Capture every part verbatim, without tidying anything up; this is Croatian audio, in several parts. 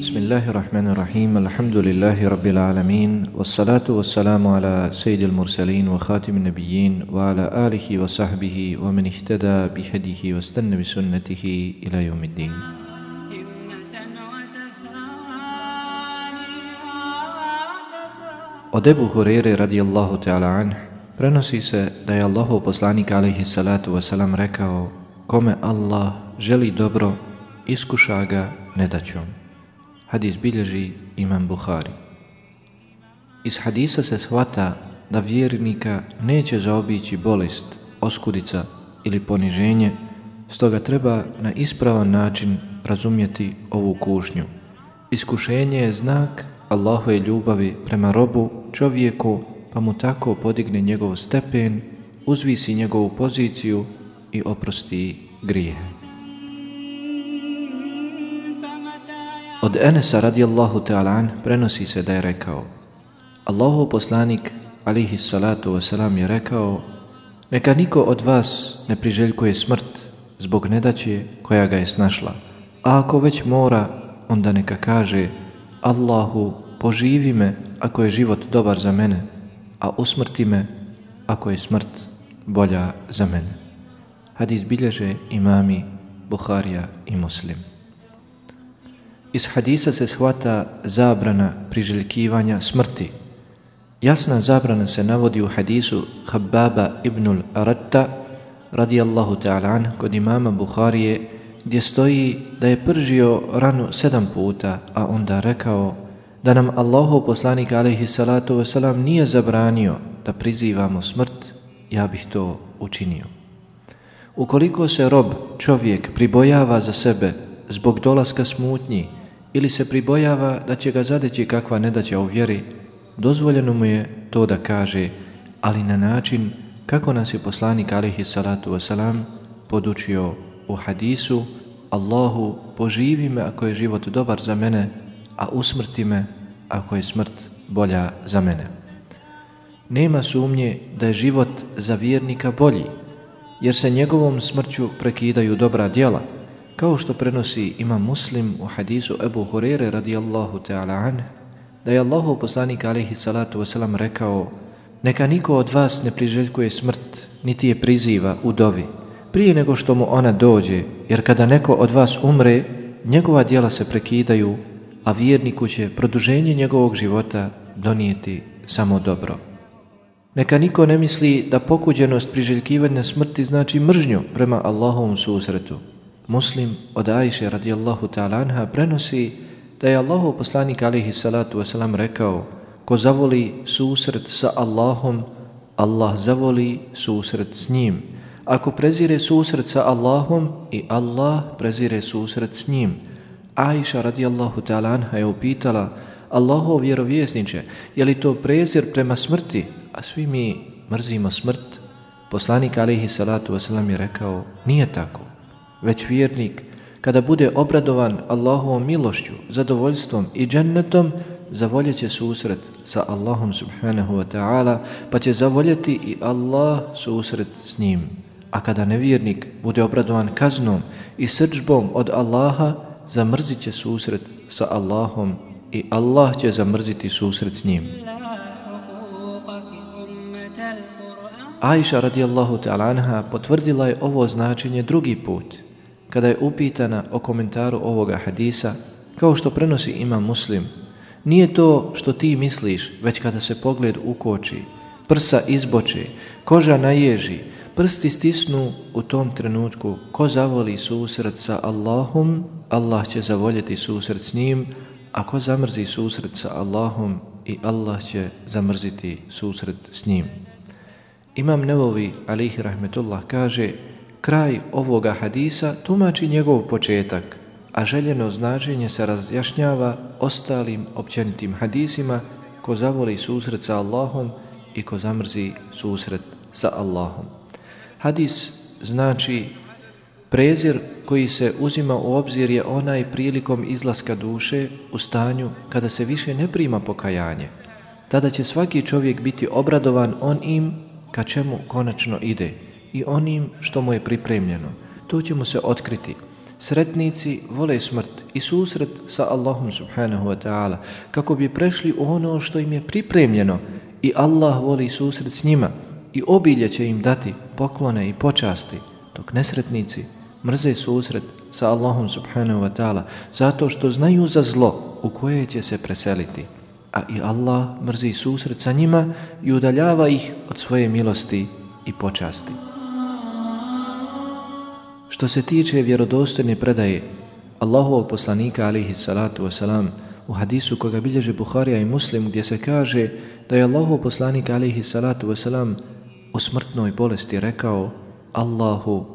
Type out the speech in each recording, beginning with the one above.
Bismillahirrahmanirrahim. Alhamdulillahi rabbil alamin. Wassalatu wassalamu ala sayyidil mursalin wa khatimin nabiyyin wa ala alihi wa sahbihi wa man ihtada bihadihi wa istanna bi sunnatihi ila yawmiddin. Od Ebu Hurere radijallahu ta'ala anh prenosi se da je Allahov poslanik alejhi salatu wassalam rekao: kome Allah želi dobro, iskuša ga nedaćom. Hadis bilježi imam Buhari. Iz hadisa se shvata da vjernika neće zaobići bolest, oskudica ili poniženje, stoga treba na ispravan način razumjeti ovu kušnju. Iskušenje je znak Allahove ljubavi prema robu, čovjeku, pa mu tako podigne njegov stepen, uzvisi njegovu poziciju i oprosti grijehe. Od Enesa radijallahu ta'ala an prenosi se da je rekao: Allahov poslanik alejhi salatu wasalam je rekao: neka niko od vas ne priželjkuje smrt zbog nedaće koja ga je snašla, a ako već mora, onda neka kaže: Allahu, poživi me ako je život dobar za mene, a usmrti me ako je smrt bolja za mene. Hadis bilježe imami Buharija i Muslim. Iz hadisa se shvata zabrana priželjkivanja smrti. Jasna zabrana se navodi u hadisu Hababa ibnul Aratta radijallahu ta'ala an kod imama Buharije, gdje stoji da je pržio ranu sedam puta, a onda rekao da nam Allahov poslanik alejhi salatu wasalam nije zabranio da prizivamo smrt, ja bih to učinio. Ukoliko se rob, čovjek, pribojava za sebe zbog dolaska smutnji ili se pribojava da će ga zadeći kakva nedaća u vjeri, dozvoljeno mu je to da kaže, ali na način kako nas je poslanik alejhi salatu wasalam podučio u hadisu: Allahu, poživi me ako je život dobar za mene, a usmrti me ako je smrt bolja za mene. Nema sumnje da je život za vjernika bolji, jer se njegovom smrću prekidaju dobra djela, kao što prenosi imam Muslim u hadisu Ebu Hurere radijallahu ta'ala anh, da je Allahov poslanik alejhi salatu wasalam rekao: neka niko od vas ne priželjkuje smrt, niti je priziva u dovi, prije nego što mu ona dođe, jer kada neko od vas umre, njegova djela se prekidaju, a vjerniku će produženje njegovog života donijeti samo dobro. Neka niko ne misli da pokuđenost priželjkivanja smrti znači mržnju prema Allahovom susretu. Muslim od Ajše radijallahu ta'ala anha prenosi da je Allahov poslanik alejhi salatu wasalam rekao: ko zavoli susret sa Allahom, Allah zavoli susret s njim. Ako prezire susret sa Allahom, i Allah prezire susret s njim. Ajša radijallahu ta'ala anha je upitala: Allahov vjerovjesniče, je li to prezir prema smrti, a svi mi mrzimo smrt? Poslanik alejhi salatu wasalam je rekao: nije tako, već vjernik kada bude obradovan Allahovom milošću, zadovoljstvom i džennetom, zavoljet će susret sa Allahom subhanahu wa ta'ala, pa će zavoljeti i Allah susret s njim. A kada nevjernik bude obradovan kaznom i srdžbom od Allaha, zamrzit će susret sa Allahom i Allah će zamrziti susret s njim. Ajša radijallahu ta'ala anha potvrdila je ovo značenje drugi put, kada je upitana o komentaru ovoga hadisa, kao što prenosi Imam Muslim. Nije to što ti misliš, već kada se pogled ukoči, prsa izboče, koža naježi, prsti stisnu, u tom trenutku ko zavoli susret sa Allahom, Allah će zavoljeti susret s njim, a ko zamrzi susret sa Allahom, i Allah će zamrziti susret s njim. Imam Nevovi alejhi rahmetullah kaže, kraj ovoga hadisa tumači njegov početak, a željeno značenje se razjašnjava ostalim općenitim hadisima: ko zavoli susret sa Allahom i ko zamrzi susret sa Allahom. Hadis znači prezir koji se uzima u obzir je onaj prilikom izlaska duše u stanju kada se više ne prima pokajanje. Tada će svaki čovjek biti obradovan onim ka čemu konačno ide i onim što mu je pripremljeno. To će mu se otkriti. Sretnici vole smrt i susret sa Allahom subhanahu wa ta'ala kako bi prešli u ono što im je pripremljeno, i Allah voli susret s njima i obilje će im dati poklone i počasti, dok nesretnici mrze susret sa Allahom subhanahu wa ta'ala zato što znaju za zlo u koje će se preseliti, a i Allah mrzi susret sa njima i udaljava ih od svoje milosti i počasti. Što se tiče vjerodostojne predaje Allahovog poslanika alejhi salatu wasalam u hadisu koga bilježe Buharija i Muslim, gdje se kaže da je Allahov poslanik alejhi salatu wasalam u smrtnoj bolesti rekao: Allahu,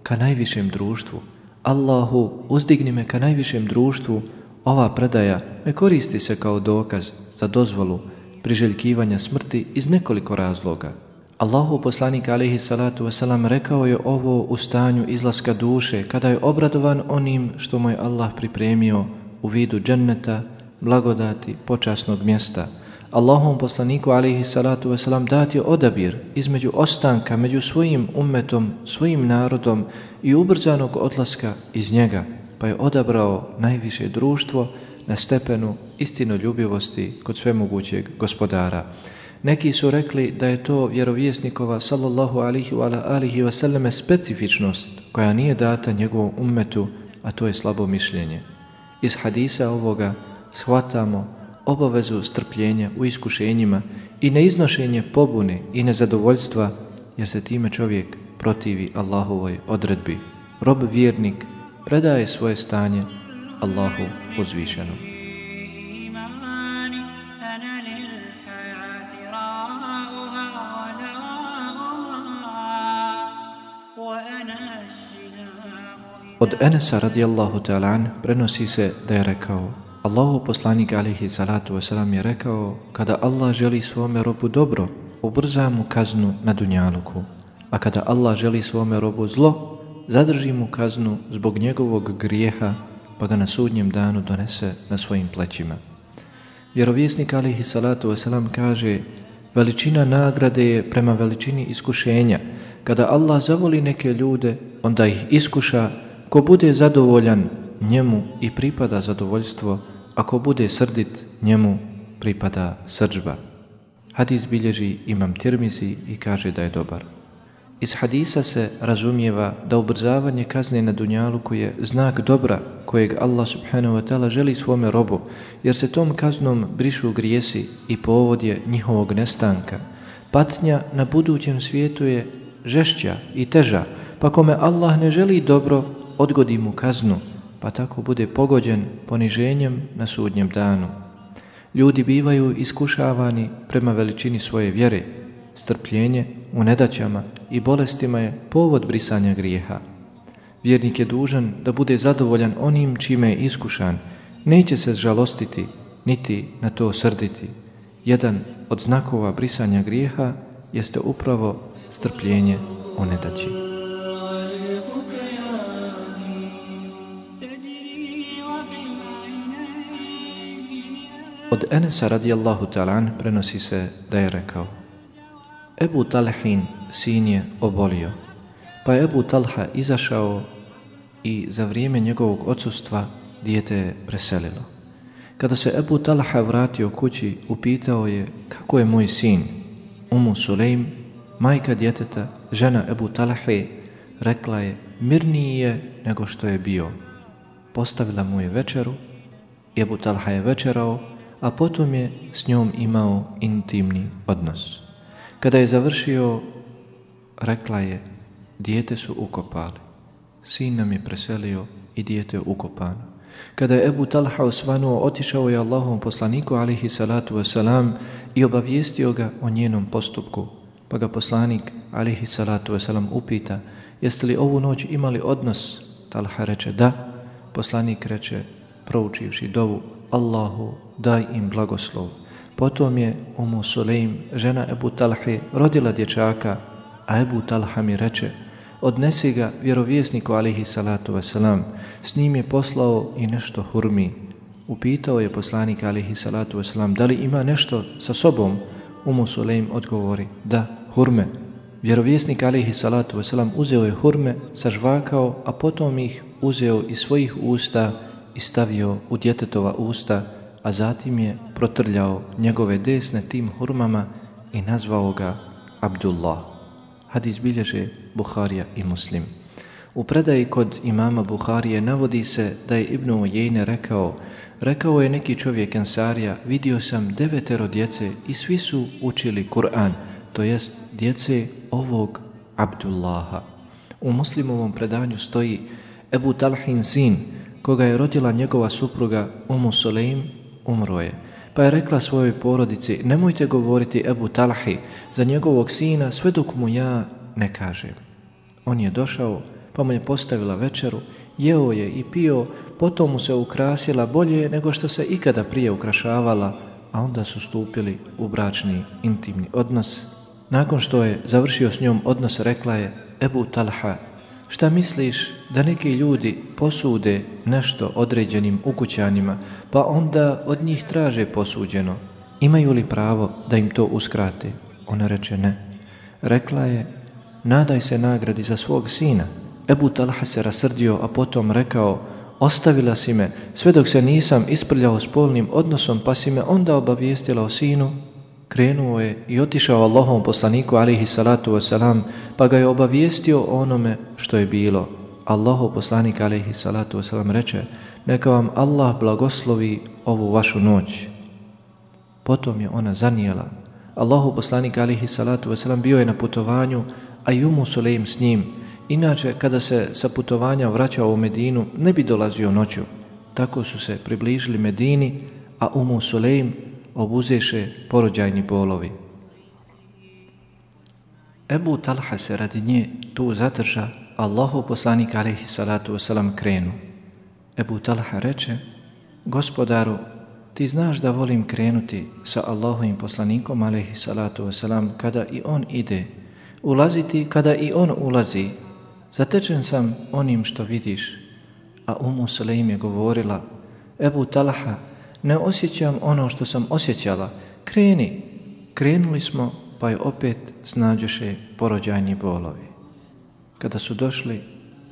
ka najvišem društvu, Allahu, uzdigni me ka najvišem društvu. Ova predaja ne koristi se kao dokaz za dozvolu priželjkivanja smrti iz nekoliko razloga. Allahov poslanik alejhi salatu wasalam rekao je ovo u stanju izlaska duše, kada je obradovan onim što mu je Allah pripremio u vidu dženneta, blagodati, počasnog mjesta. Allahovom poslaniku alejhi salatu wasalam dat je odabir između ostanka među svojim ummetom, svojim narodom i ubrzanog odlaska iz njega, pa je odabrao najviše društvo na stepenu istinoljubivosti kod svemogućeg gospodara. Neki su rekli da je to vjerovjesnikova sallallahu alihi wa alihi wasallame specifičnost koja nije data njegovom ummetu, a to je slabo mišljenje. Iz hadisa ovoga shvatamo obavezu strpljenja u iskušenjima i neiznošenje pobune i nezadovoljstva, jer se time čovjek protivi Allahovoj odredbi. Rob vjernik predaje svoje stanje Allahu uzvišenom. Od Enesa radijallahu ta'ala an prenosi se da je rekao: Allahov poslanik alejhi salatu wasalam je rekao: kada Allah želi svome robu dobro, ubrza mu kaznu na dunjaluku, a kada Allah želi svome robu zlo, zadrži mu kaznu zbog njegovog grijeha, pa ga na sudnjem danu donese na svojim plećima. Vjerovjesnik alejhi salatu wasalam kaže: veličina nagrade je prema veličini iskušenja. Kada Allah zavoli neke ljude, onda ih iskuša. Ko bude zadovoljan, njemu i pripada zadovoljstvo, a ko bude srdit, njemu pripada srdžba. Hadis bilježi Imam Tirmizi i kaže da je dobar. Iz hadisa se razumijeva da ubrzavanje kazne na dunjaluku je znak dobra kojeg Allah subhanahu wa ta'ala želi svome robu, jer se tom kaznom brišu grijesi i povod je njihovog nestanka. Patnja na budućem svijetu je žešća i teža, pa kome Allah ne želi dobro, odgodi mu kaznu, pa tako bude pogođen poniženjem na sudnjem danu. Ljudi bivaju iskušavani prema veličini svoje vjere. Strpljenje u nedaćama i bolestima je povod brisanja grijeha. Vjernik je dužan da bude zadovoljan onim čime je iskušan, neće se žalostiti niti na to srditi. Jedan od znakova brisanja grijeha jeste upravo strpljenje u nedaći. Od Enesa radijallahu ta'ala an prenosi se da je rekao: Ebu Talhin sin je obolio, pa je Ebu Talha izašao i za vrijeme njegovog odsustva dijete je preselilo. Kada se Ebu Talha vratio kući, upitao je: kako je moj sin? Umu Sulejm majka djeteta, žena Ebu Talhe, rekla je mirniji je nego što je bio. Postavila mu je večeru, Ebu Talha je večerao, a potom je s njom imao intimni odnos. Kada je završio, rekla je, dijete su ukopali. Sin nam je preselio i dijete je ukopano. Kada je Ebu Talha osvanuo, otišao je Allahovom poslaniku alihi salatu wasalam i obavijestio ga o njenom postupku. Pa ga poslanik alihi salatu wasalam upita, jeste li ovu noć imali odnos? Talha reče da. Poslanik reče, proučivši dovu, Allahu daj im blagoslov. Potom je Umu Sulejm, žena Ebu Talhe, rodila dječaka, a Ebu Talha mi reče, odnesi ga vjerovjesniku alihi salatu wasalam, s njim je poslao i nešto hurmi. Upitao je poslanik alihi salatu wasalam, da li ima nešto sa sobom? Umu Sulejm odgovori, da, hurme. Vjerovjesnik alihi salatu wasalam uzeo je hurme, sažvakao, a potom ih uzeo iz svojih usta i stavio u djetetova usta, a zatim je protrljao njegove desne tim hurmama i nazvao ga Abdullah. Hadis bilježe Buharija i Muslim. U predaji kod imama Buharije navodi se da je Ibn Ujejne rekao, rekao je neki čovjek Ensarija, vidio sam devetero djece i svi su učili Kur'an, to jest djece ovog Abdullaha. U Muslimovom predanju stoji Ebu Talhin sin, koga je rodila njegova supruga Umu Sulejm, umro je. Pa je rekla svojoj porodici, nemojte govoriti Ebu Talhi za njegovog sina sve dok mu ja ne kažem. On je došao, pa mu je postavila večeru, jeo je i pio, potom mu se ukrasila bolje nego što se ikada prije ukrašavala, a onda su stupili u bračni intimni odnos. Nakon što je završio s njom odnos, rekla je, Ebu Talha, šta misliš da neki ljudi posude nešto određenim ukućanima, pa onda od njih traže posuđeno? Imaju li pravo da im to uskrate? Ona reče ne. Rekla je, nadaj se nagradi za svog sina. Ebu Talha se rasrdio, a potom rekao, ostavila si me sve dok se nisam isprljao spolnim odnosom, pa si me onda obavijestila o sinu. Krenuo je i otišao Allahovom poslaniku alihi salatu wasalam, pa ga je obavijestio o onome što je bilo. Allahov poslanik alihi salatu wasalam reče, neka vam Allah blagoslovi ovu vašu noć. Potom je ona zanijela. Allahov poslanik alihi salatu wasalam bio je na putovanju, a i Umu Sulejm s njim. Inače, kada se sa putovanja vraćao u Medinu, ne bi dolazio noću. Tako su se približili Medini, a Umu Sulejm obuzeše porođajni bolovi. Ebu Talha se radi nje tu zadrža, Allahov poslanik alejhi salatu wasalam krenu. Ebu Talha reče, gospodaru, ti znaš da volim krenuti sa Allahovim poslanikom alejhi salatu wasalam kada i on ide, ulaziti kada i on ulazi. Zatečen sam onim što vidiš. A Umu Sulejm je govorila, Ebu Talha, ne osjećam ono što sam osjećala, kreni. Krenuli smo, pa je opet snađoše porođajni bolovi. Kada su došli,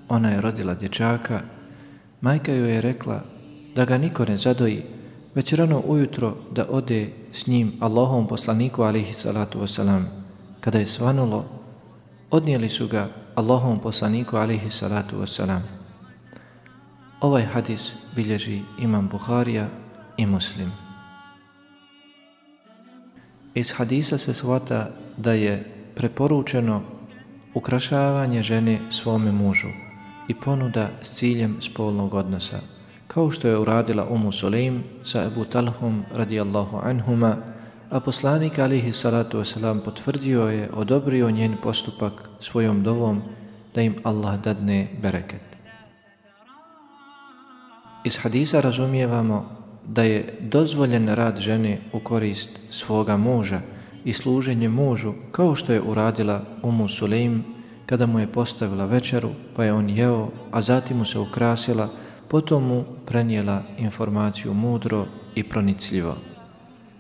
ona je rodila dječaka, majka joj je rekla da ga niko ne zadoji, već rano ujutro da ode s njim Allahovom poslaniku alejhi salatu wasalam. Kada je svanulo, odnijeli su ga Allahovom poslaniku alejhi salatu wasalam. Ovaj hadis bilježi imam Buharija i Muslim. Iz hadisa se shvata da je preporučeno ukrašavanje žene svome mužu i ponuda s ciljem spolnog odnosa, kao što je uradila Umu Sulejm sa Ebu Talhom radijallahu anhuma, a poslanik alejhi salatu wasalam potvrdio je, odobrio njen postupak svojom dovom da im Allah dadne bereket. Iz hadisa razumijevamo da je dozvoljen rad žene u korist svoga muža i služenje mužu, kao što je uradila Umu Sulejm kada mu je postavila večeru, pa je on jeo, a zatim mu se ukrasila, potom mu prenijela informaciju mudro i pronicljivo.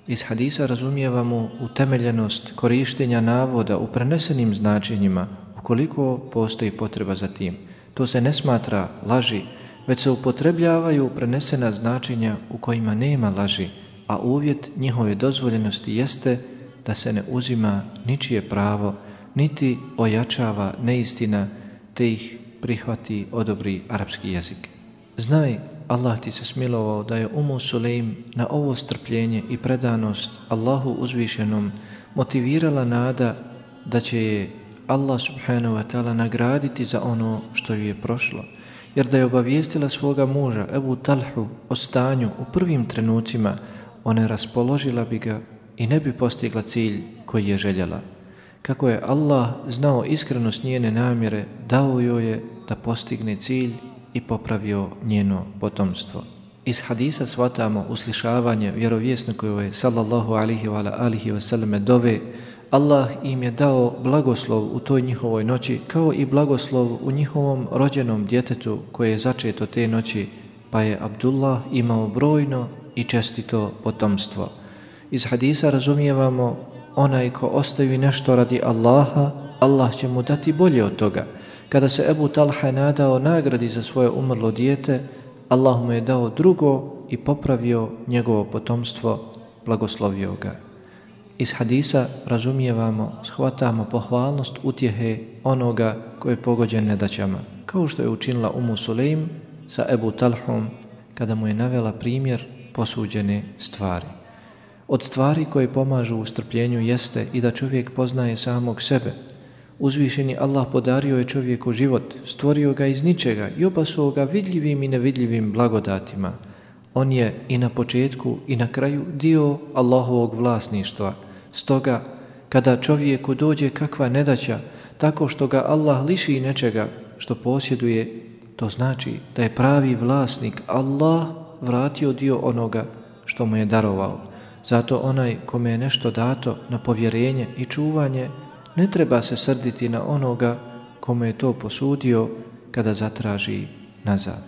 Iz hadisa razumijevamo utemeljenost korištenja navoda u prenesenim značenjima, ukoliko postoji potreba za tim. To se ne smatra laži, već se upotrebljavaju prenesena značenja u kojima nema laži, a uvjet njihove dozvoljenosti jeste da se ne uzima ničije pravo, niti ojačava neistina, te ih prihvati, odobri arapski jezik. Znaj, Allah ti se smilovao da je Umu Sulejm na ovo strpljenje i predanost Allahu uzvišenom motivirala nada da će je Allah subhanahu wa ta'ala nagraditi za ono što ju je prošlo. Jer da je obavijestila svoga muža Ebu Talhu o stanju u prvim trenucima, ona raspoložila bi ga i ne bi postigla cilj koji je željela. Kako je Allah znao iskrenost njene namjere, dao joj je da postigne cilj i popravio njeno potomstvo. Iz hadisa shvatamo uslišavanje vjerovjesnikove sallallahu alihi wa alihi wa sallame dove. Allah im je dao blagoslov u toj njihovoj noći, kao i blagoslov u njihovom rođenom djetetu koje je začeto te noći, pa je Abdullah imao brojno i čestito potomstvo. Iz hadisa razumijevamo, onaj ko ostavi nešto radi Allaha, Allah će mu dati bolje od toga. Kada se Ebu Talha nadao nagradi za svoje umrlo dijete, Allah mu je dao drugo i popravio njegovo potomstvo, blagoslovio ga. Iz hadisa razumijevamo, shvatamo pohvalnost utjehe onoga koji je pogođen nedaćama, kao što je učinila Umu Sulejm sa Ebu Talhom kada mu je navela primjer posuđene stvari. Od stvari koje pomažu u strpljenju jeste i da čovjek poznaje samog sebe. Uzvišeni Allah podario je čovjeku život, stvorio ga iz ničega i opasuo ga vidljivim i nevidljivim blagodatima. On je i na početku i na kraju dio Allahovog vlasništva. Stoga, kada čovjeku dođe kakva nedaća, tako što ga Allah liši nečega što posjeduje, to znači da je pravi vlasnik Allah vratio dio onoga što mu je darovao. Zato onaj kome je nešto dato na povjerenje i čuvanje, ne treba se srditi na onoga kome je to posudio kada zatraži nazad.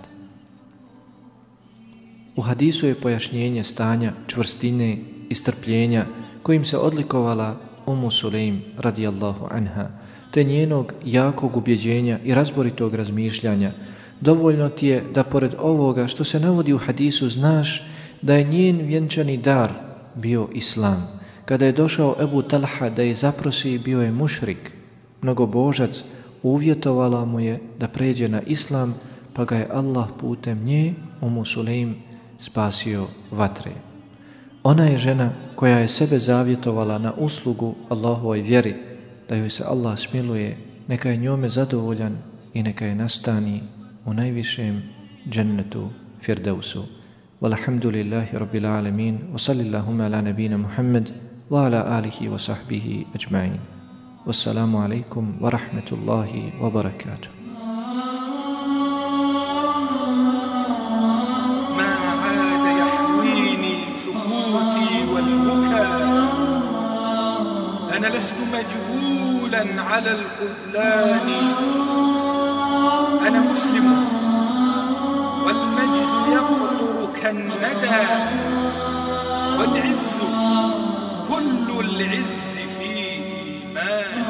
U hadisu je pojašnjenje stanja čvrstine i strpljenja kojim se odlikovala Umu Sulejm radijallahu anha, te njenog jakog ubjeđenja i razboritog razmišljanja. Dovoljno ti je da pored ovoga što se navodi u hadisu znaš da je njen vjenčani dar bio Islam. Kada je došao Ebu Talha da je zaprosi, bio je mušrik, mnogobožac, uvjetovala mu je da pređe na Islam, pa ga je Allah putem nje, Umu Sulejm, spasio vatre. Ona je žena koja je sebe zavjetovala na uslugu Allahovoj vjeri, da joj se Allah smiluje, neka je njome zadovoljan i neka je nastani u najvišem džennetu Firdevsu. Walhamdulillahi rabbil alamin, wa sallillahuma ala nabina Muhammad wa ala alihi wa sahbihi ajma'in. Wassalamu alaikum wa rahmatullahi wa barakatuh. أنا لست مجهولا على الخذلان، أنا مسلم والمجد يقطر كالندى، والعز كل العز في إيمان.